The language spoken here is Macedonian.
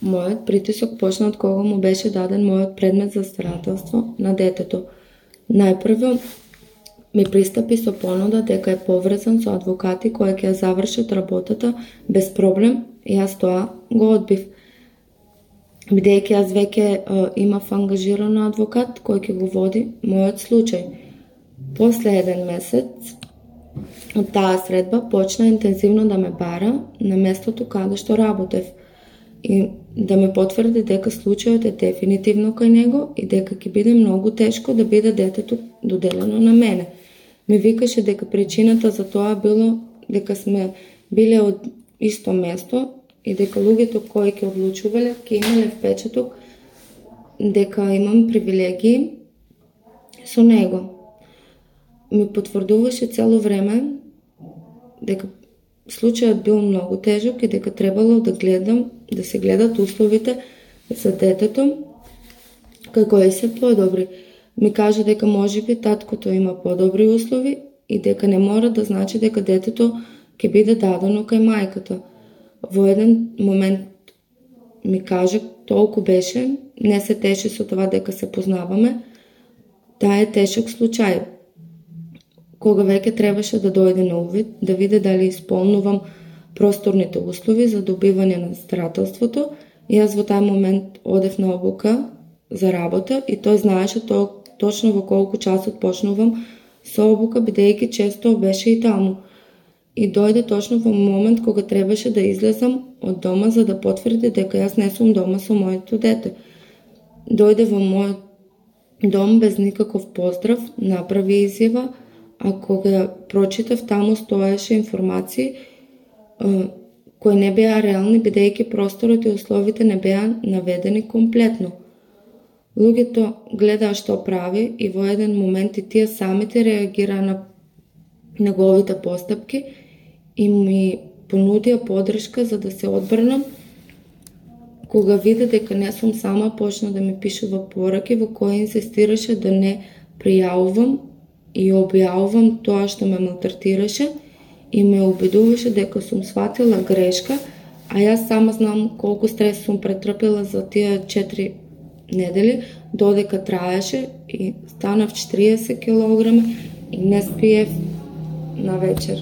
Мојот притисок почна од кога му беше даден мојот предмет за старателство на детето. Најпрво ми пристапи со понуда дека е поврзан со адвокати кои ќе завршат работата без проблем и јас тоа го одбив. Бидејќи јас веќе имав ангажиран адвокат кој ќе го води мојот случај. После 1 месец од таа средба почна интензивно да ме бара на местото каде што работев и да ме потврди дека случајот е дефинитивно кај него и дека ќе биде многу тешко да биде детето доделено на мене. Ми викаше дека причината за тоа било дека сме биле од исто место и дека луѓето кои ќе одлучувале ќе имале впечаток дека имам привилегии со него. Ми потврдуваше цело време дека случајот бил многу тежок и дека требало да се гледат условите за детето кај кои се подобри. Ми кажа дека можеби таткото има подобри услови и дека не мора да значи дека детето ќе биде дадено кај мајката. Во еден момент ми кажа, толку беше, не се теши со това дека се познаваме, таа е тешок случај. Кога веќе требаше да дојде на увид, да види дали исполнувам просторните услови за добивање на старателството, и јас во тај момент одев на обука за работа и тој знаеше точно во колку часот почнувам со обука, бидејќи често беше и таму. И дојде точно во момент кога требаше да излезам од дома за да потврди дека јас не сум дома со моето дете. Дојде во мојот дом без никаков поздрав, направи изјава, а кога прочитав таму стоеше информации кои не беа реални, бидејќи просторот и условите не беа наведени комплетно. Луѓето гледаа што прави и во еден момент и тие самите реагираа на неговите постапки и ми понудија подршка за да се одбранам. Кога виде дека не сум сама, почна да ми пишува пораки во кои инсистираше да не пријавувам и објавувам тоа што ме малтретираше и ме убедуваше дека сум сватила грешка, а јас сама знам колку стрес сум претрпела за тие 4 недели, додека траеше и станав 40 килограми и не спиев на вечер.